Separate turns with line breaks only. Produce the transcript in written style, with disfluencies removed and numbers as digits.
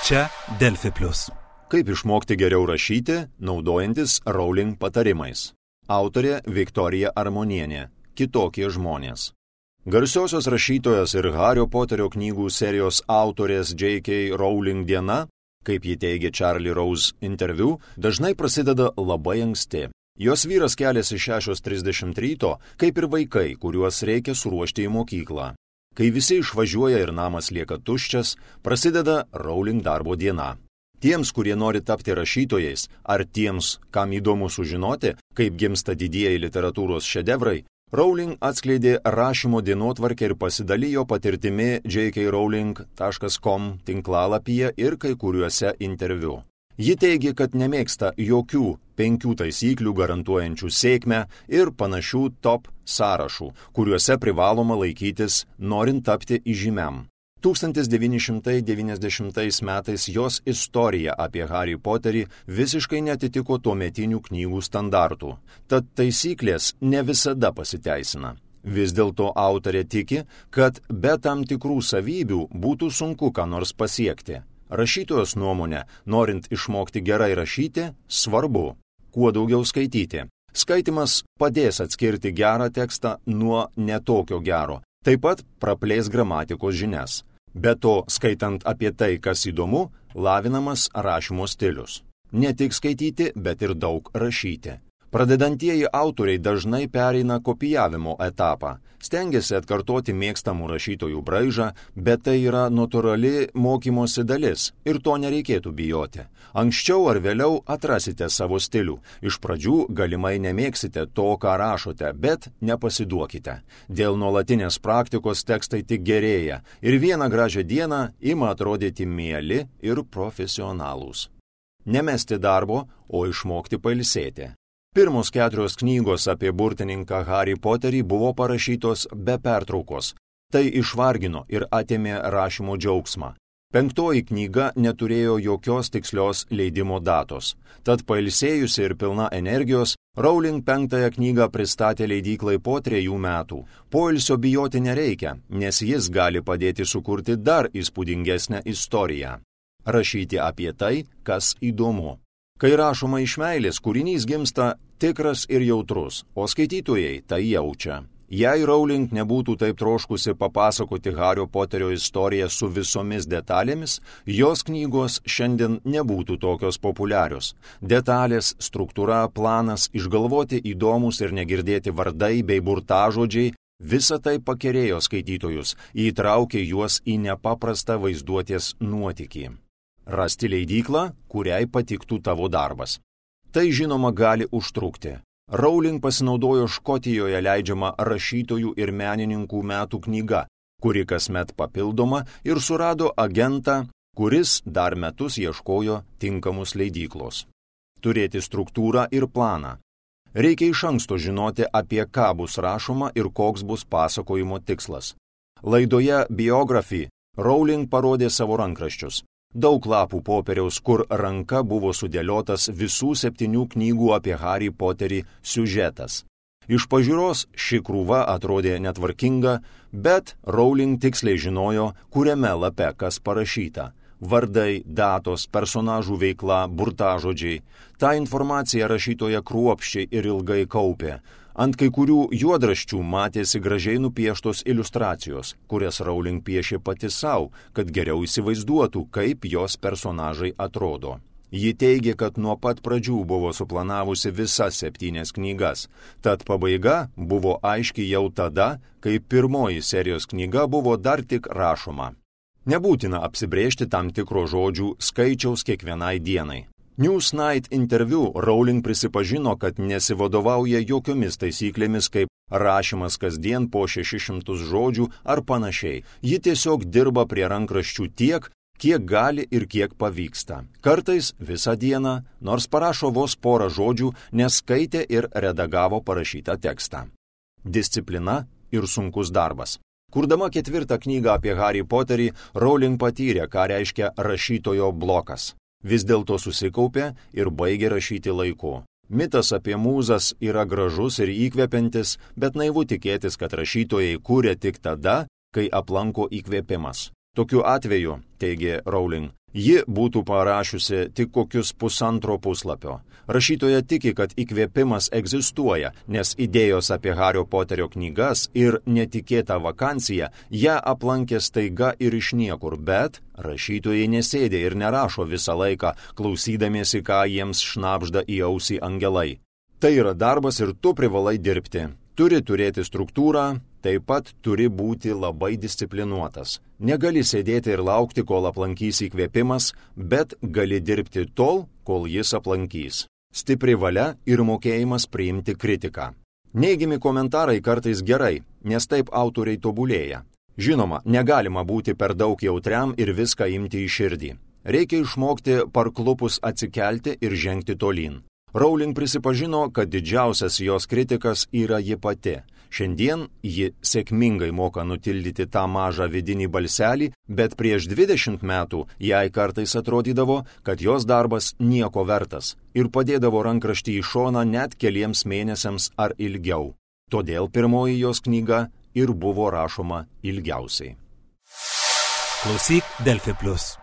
Čia Delfi Plus.
Kaip išmokti geriau rašyti, naudojantis Rowling patarimais. Autorė Viktorija Armonienė. Kitokie žmonės. Garsiosios rašytojos ir Hario Poterio knygų serijos autorės J.K. Rowling diena, kaip ji teigia Charlie Rose interviu, dažnai prasideda labai anksti. Jos vyras keliasi 6:30 ryto, kaip ir vaikai, kuriuos reikia suruošti į mokyklą. Kai visi išvažiuoja ir namas lieka tuščias, prasideda Rowling darbo diena. Tiems, kurie nori tapti rašytojais, ar tiems, kam įdomu sužinoti, kaip gimsta didieji literatūros šedevrai, Rowling atskleidė rašymo dienotvarkę ir pasidalijo patirtimi jkrowling.com tinklalapyje ir kai kuriuose interviu. Ji teigia, kad nemėgsta jokių 5 taisyklių garantuojančių sėkmę ir panašių top sąrašų, kuriuose privaloma laikytis, norint tapti įžymiam. 1990 metais jos istorija apie Harry Potterį visiškai netitiko tuometinių knygų standartų, tad taisyklės ne visada pasiteisina. Vis dėlto autorė tiki, kad be tam tikrų savybių būtų sunku ką nors pasiekti. Rašytojos nuomonė, norint išmokti gerai rašyti, svarbu kuo daugiau skaityti. Skaitymas padės atskirti gerą tekstą nuo netokio gero, taip pat praplės gramatikos žinias. Be to, skaitant apie tai, kas įdomu, lavinamas rašymo stilius. Ne tik skaityti, bet ir daug rašyti. Pradedantieji autoriai dažnai pereina kopijavimo etapą. Stengiasi atkartoti mėgstamų rašytojų braižą, bet tai yra natūrali mokymosi dalis ir to nereikėtų bijoti. Anksčiau ar vėliau atrasite savo stilių. Iš pradžių galimai nemėgsite to, ką rašote, bet nepasiduokite. Dėl nuolatinės praktikos tekstai tik gerėja ir vieną gražią dieną ima atrodyti mieli ir profesionalūs. Nemesti darbo, o išmokti pailsėti. Pirmos 4 knygos apie burtininką Harry Potterį buvo parašytos be pertraukos. Tai išvargino ir atėmė rašymo džiaugsmą. 5 knyga neturėjo jokios tikslios leidimo datos. Tad pailsėjusi ir pilna energijos, Rowling 5 knygą pristatė leidyklai po 3 metų. Poilsio bijoti nereikia, nes jis gali padėti sukurti dar įspūdingesnę istoriją. Rašyti apie tai, kas įdomu. Kai rašoma iš meilės, kūrinys gimsta tikras ir jautrus, o skaitytojai tai jaučia. Jei Rowling nebūtų taip troškusi papasakoti Hario Poterio istoriją su visomis detalėmis, jos knygos šiandien nebūtų tokios populiarios. Detalės, struktūra, planas, išgalvoti įdomus ir negirdėti vardai bei burtažodžiai, visa tai pakerėjo skaitytojus, įtraukė juos į nepaprastą vaizduotės nuotykį. Rasti leidyklą, kuriai patiktų tavo darbas. Tai žinoma gali užtrukti. Rowling pasinaudojo Škotijoje leidžiama rašytojų ir menininkų metų knyga, kuri kasmet papildoma ir surado agentą, kuris dar metus ieškojo tinkamos leidyklos. Turėti struktūrą ir planą. Reikia iš anksto žinoti, apie ką bus rašoma ir koks bus pasakojimo tikslas. Laidoje Biography Rowling parodė savo rankraščius. Daug lapų popieriaus, kur ranka buvo sudėliotas visų 7 knygų apie Harry Potterį siužetas. Iš pažiūros ši krūva atrodė netvarkinga, bet Rowling tiksliai žinojo, kuriame lape kas parašyta. Vardai, datos, personažų veikla, burtažodžiai. Ta informacija rašytoja kruopščiai ir ilgai kaupė. Ant kai kurių juodraščių matėsi gražiai nupieštos iliustracijos, kurias Rowling piešė pati savo, kad geriau įsivaizduotų, kaip jos personažai atrodo. Ji teigė, kad nuo pat pradžių buvo suplanavusi visas 7 knygas, tad pabaiga buvo aiški jau tada, kai pirmoji serijos knyga buvo dar tik rašoma. Nebūtina apsibrėžti tam tikro žodžių skaičiaus kiekvienai dienai. Newsnight interviu Rowling prisipažino, kad nesivadovauja jokiomis taisyklėmis kaip rašymas kasdien po 600 žodžių ar panašiai. Ji tiesiog dirba prie rankraščių tiek, kiek gali ir kiek pavyksta. Kartais visą dieną, nors parašo vos porą žodžių, nes skaitė ir redagavo parašytą tekstą. Disciplina ir sunkus darbas. Kurdama 4 knygą apie Harry Potterį, Rowling patyrė, ką reiškia rašytojo blokas. Vis dėlto susikaupė ir baigė rašyti laiku. Mitas apie mūzas yra gražus ir įkvepiantis, bet naivu tikėtis, kad rašytojai kūrė tik tada, kai aplanko įkvėpimas. Tokiu atveju, teigė Rowling, Ji būtų parašiusi tik kokius 1,5 puslapio. Rašytoja tiki, kad įkvėpimas egzistuoja, nes idėjos apie Hario Poterio knygas ir netikėta vakancija ją aplankė staiga ir iš niekur, bet rašytojai nesėdė ir nerašo visą laiką, klausydamiesi, ką jiems šnabžda į ausį angelai. Tai yra darbas ir tu privalai dirbti. Turi turėti struktūrą, taip pat turi būti labai disciplinuotas. Negali sėdėti ir laukti, kol aplankys įkvėpimas, bet gali dirbti tol, kol jis aplankys. Stipri valia ir mokėjimas priimti kritiką. Neigiami komentarai kartais gerai, nes taip autoriai tobulėja. Žinoma, negalima būti per daug jautriam ir viską imti į širdį. Reikia išmokti parklupus atsikelti ir žengti tolyn. Rowling prisipažino, kad didžiausias jos kritikas yra ji pati. Šiandien ji sėkmingai moka nutildyti tą mažą vidinį balselį, bet prieš 20 metų jai kartais atrodydavo, kad jos darbas nieko vertas ir padėdavo rankraštį į šoną net keliems mėnesiams ar ilgiau. Todėl pirmoji jos knyga ir buvo rašoma ilgiausiai.
Klausyk Delfi Plus.